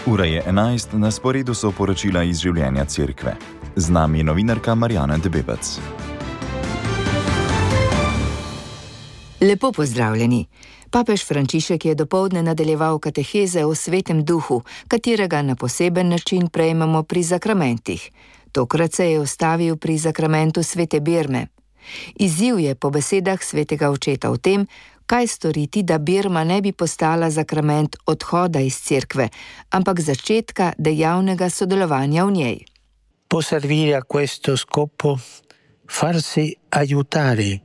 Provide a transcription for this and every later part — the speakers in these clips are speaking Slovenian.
Ura je 11, na sporedu so poročila iz življenja cerkve. Z nami je novinarka Marjana Debebec. Lepo pozdravljeni. Papež Frančišek je dopoldne nadaljeval kateheze o Svetem Duhu, katerega na poseben način prejmemo pri zakramentih. Tokrat se je ustavil pri zakramentu Svete Birme. Izziv je po besedah svetega očeta v tem, kaj storiti, da Birma ne bi postala zakrament odhoda iz cerkve, ampak začetka dejavnega sodelovanja v njej. Può servire a questo scopo farsi aiutare.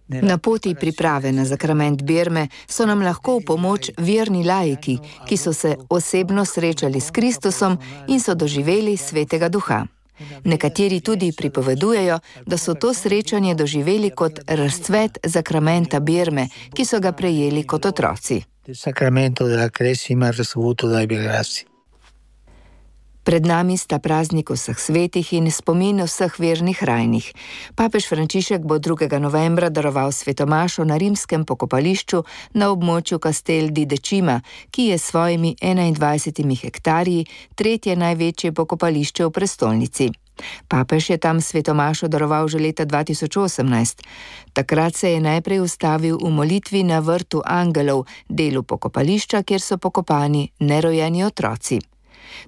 Na poti priprave na zakrament Birme so nam lahko v pomoč verni laiki, ki so se osebno srečali s Kristusom in so doživeli Svetega Duha. Nekateri tudi pripovedujejo, da so to srečanje doživeli kot razcvet zakramenta Birme, ki so ga prejeli kot otroci. Pred nami sta praznik vseh svetih in spomin vseh vernih rajnih. Papež Frančišek bo 2. novembra daroval svetomašo na rimskem pokopališču na območju Castel di Decima, ki je s svojimi 21 hektarji tretje največje pokopališče v prestolnici. Papež je tam svetomašo daroval že leta 2018. Takrat se je najprej ustavil v molitvi na vrtu angelov, delu pokopališča, kjer so pokopani nerojeni otroci.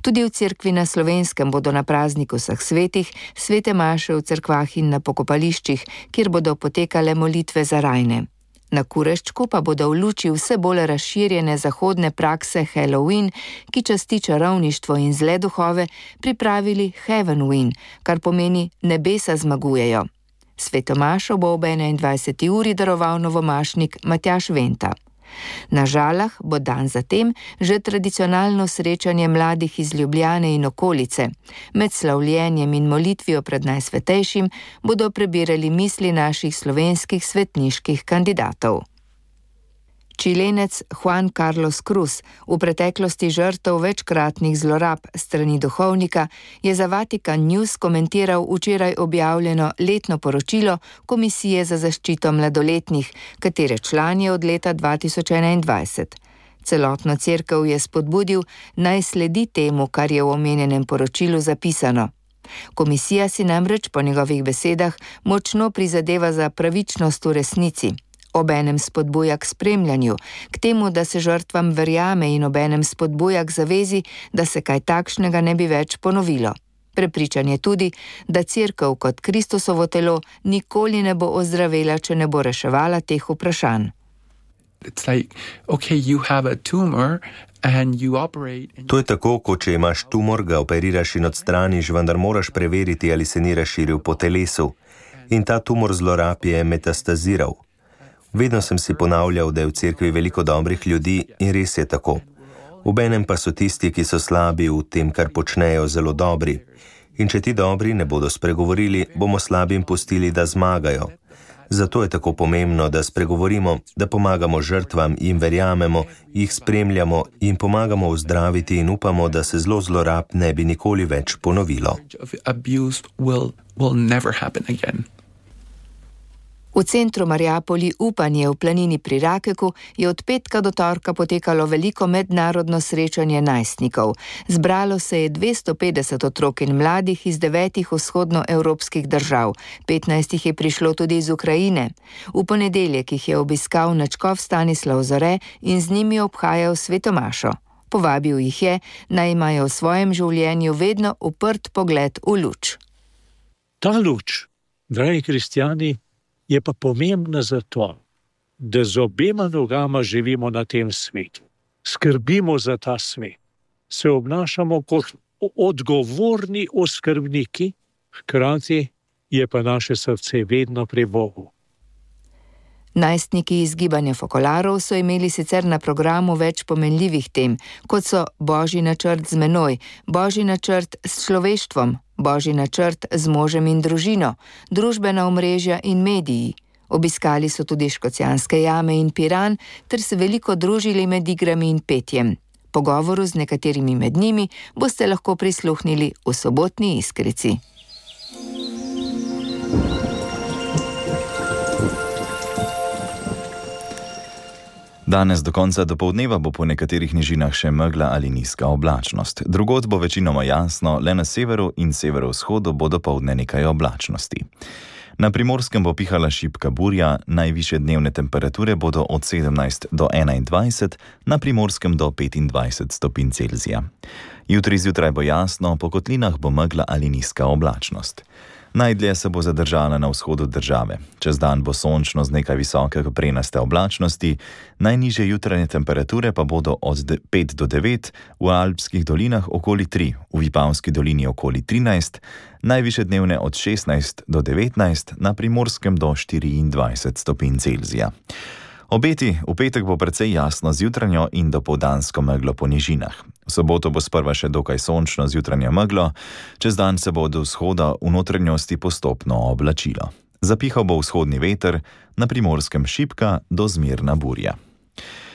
Tudi v cerkvi na Slovenskem bodo na prazniku vseh svetih svete maše v cerkvah in na pokopališčih, kjer bodo potekale molitve za rajne. Na Kureščku pa bodo v luči vse bolj razširjene zahodne prakse Halloween, ki časti čarovništvo in zle duhove, pripravili Heavenween, kar pomeni nebesa zmagujejo. Sveto mašo bo ob 21. uri daroval novomašnik Matjaž Venta. Na Žalah bo dan zatem že tradicionalno srečanje mladih iz Ljubljane in okolice. Med slavljenjem in molitvijo pred Najsvetejšim bodo prebirali misli naših slovenskih svetniških kandidatov. Čilenec Juan Carlos Cruz, v preteklosti žrtev večkratnih zlorab strani duhovnika, je za Vatikan News komentiral včeraj objavljeno letno poročilo Komisije za zaščito mladoletnih, katere član je od leta 2021. Celotno cerkev je spodbudil, naj sledi temu, kar je v omenjenem poročilu zapisano. Komisija si namreč po njegovih besedah močno prizadeva za pravičnost v resnici. Obenem spodbuja k spremljanju, k temu, da se žrtvam verjame in obenem spodbuja k zavezi, da se kaj takšnega ne bi več ponovilo. Prepričan je tudi, da cerkev kot Kristusovo telo nikoli ne bo ozdravela, če ne bo reševala teh vprašanj. To je tako, kot če imaš tumor, ga operiraš in odstraniš, vendar moraš preveriti, ali se ni razširil po telesu. In ta tumor zlorab je metastaziral. Vedno sem si ponavljal, da je v cerkvi veliko dobrih ljudi in res je tako. Obenem pa so tisti, ki so slabi v tem, kar počnejo, zelo dobri. In če ti dobri ne bodo spregovorili, bomo slabim pustili, da zmagajo. Zato je tako pomembno, da spregovorimo, da pomagamo žrtvam in verjamemo, jih spremljamo in pomagamo ozdraviti in upamo, da se zlorab ne bi nikoli več ponovilo. V centru Mariapoli Upanje v planini pri Rakeku je od petka do torka potekalo veliko mednarodno srečanje najstnikov. Zbralo se je 250 otrok in mladih iz 9 vzhodnoevropskih držav. 15 jih je prišlo tudi iz Ukrajine. V ponedeljek jih je obiskal nadškof Stanislav Zore in z njimi obhajal sveto mašo. Povabil jih je, naj imajo v svojem življenju vedno uprt pogled v luč. Ta luč, dragi kristjani, je pa pomembna zato, da z obema nogama živimo na tem svetu. Skrbimo za ta svet. Se obnašamo kot odgovorni oskrbniki, hkrati je pa naše srce vedno pri Bogu. Najstniki iz gibanja Fokolarov so imeli sicer na programu več pomenljivih tem, kot so Božji načrt z menoj, Božji načrt s človeštvom, Božji načrt z možem in družino, družbena omrežja in mediji. Obiskali so tudi Škocjanske jame in Piran ter se veliko družili med igrami in petjem. Pogovoru z nekaterimi med njimi boste lahko prisluhnili v sobotni Iskrici. Danes do konca dopoldneva bo po nekaterih nižinah še megla ali nizka oblačnost. Drugod bo večinoma jasno, le na severu in severovzhodu bo dopoldne nekaj oblačnosti. Na Primorskem bo pihala šibka burja, najvišje dnevne temperature bodo od 17 do 21, na Primorskem do 25 stopinj Celzija. Jutri zjutraj bo jasno, po kotlinah bo megla ali nizka oblačnost. Najdlje se bo zadržala na vzhodu države. Čez dan bo sončno z nekaj visoke prenaste oblačnosti, najnižje jutranje temperature pa bodo od 5 do 9, v Alpskih dolinah okoli 3, v Vipavski dolini okoli 13, najvišje dnevne od 16 do 19, na Primorskem do 24 stopinj Celzija. Obeti v petek bo precej jasno z jutranjo in dopoldansko meglo po nižinah. V soboto bo sprva še dokaj sončno z jutranjo meglo, čez dan se bo do vzhoda v notranjosti postopno oblačilo. Zapihal bo vzhodni veter, na Primorskem šibka do zmerna burja.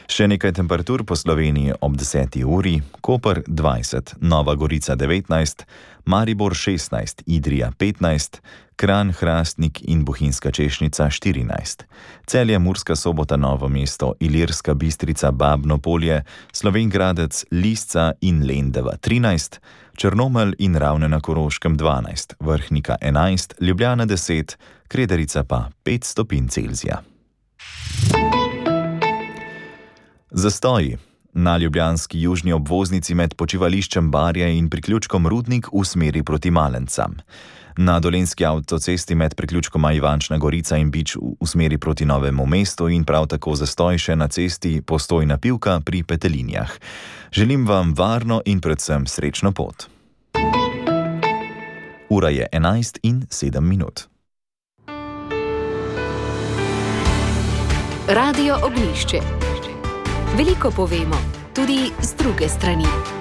Še nekaj temperatur po Sloveniji ob 10. uri: Koper 20, Nova Gorica 19, Maribor 16, Idrija 15, Kranj, Hrastnik in Bohinjska Češnica 14, Celje, Murska Sobota, Novo mesto, Ilirska Bistrica, Babno Polje, Slovenj Gradec, Lisca in Lendava 13, Črnomelj in Ravne na Koroškem 12, Vrhnika 11, Ljubljana 10, Krederica pa 5 stopinj Celzija. Zastoji. Na ljubljanski južni obvoznici med počivališčem Barje in priključkom Rudnik v smeri proti Malencam. Na dolenjski avtocesti med priključkoma Ivančna Gorica in Bič v smeri proti Novemu mestu in prav tako zastoj še na cesti Postojna Pivka pri Petelinjah. Želim vam varno in predvsem srečno pot. Ura je 11:07. Radio Ognjišče. Veliko povemo, tudi z druge strani.